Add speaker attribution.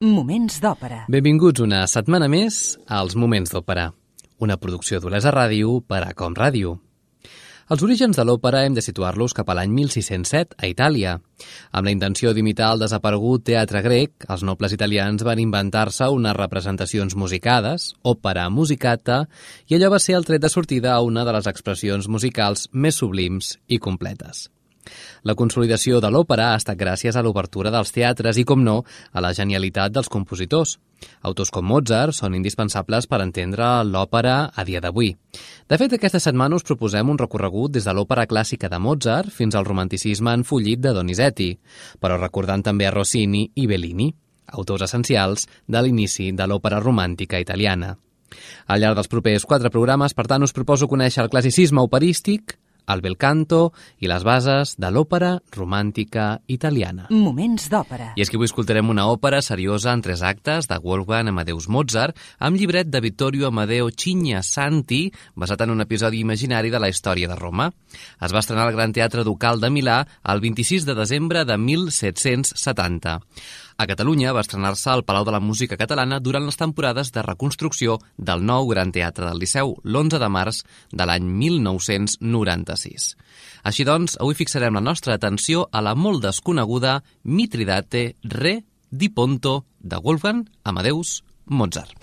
Speaker 1: Moments d'òpera.
Speaker 2: Benvinguts una setmana més als Moments d'òpera, una producció d'Olesa Ràdio per a Com Ràdio. Els orígens de l'òpera hem de situar-los cap a l'any 1607 a Itàlia. Amb la intenció d'imitar el desaparegut teatre grec, els nobles italians van inventar-se unes representacions musicades, òpera musicata, i allò va ser el tret de sortida a una de les expressions musicals més sublims i completes. La consolidació de l'òpera ha estat gràcies a l'obertura dels teatres i, com no, a la genialitat dels compositors. Autors com Mozart són indispensables per entendre l'òpera a dia d'avui. De fet, aquesta setmana us proposem un recorregut des de l'òpera clàssica de Mozart fins al romanticisme enfollit de Donizetti, però recordant també a Rossini i Bellini, autors essencials de l'inici de l'òpera romàntica italiana. Al llarg dels propers 4 programes, per tant, us proposo conèixer el classicisme operístic, el bel canto i les bases de l'òpera romàntica italiana.
Speaker 1: Moments d'òpera.
Speaker 2: I és que avui escoltarem una òpera seriosa en 3 actes de Wolfgang Amadeus Mozart amb llibret de Vittorio Amadeo Cigna-Santi, basat en un episodi imaginari de la història de Roma. Es va estrenar al Gran Teatre Ducal de Milà el 26 de desembre de 1770. A Catalunya va estrenar-se al Palau de la Música Catalana durant les temporades de reconstrucció del nou Gran Teatre del Liceu, l'11 de març de l'any 1996. Així doncs, avui fixarem la nostra atenció a la molt desconeguda Mitridate Re di Ponto de Wolfgang Amadeus Mozart.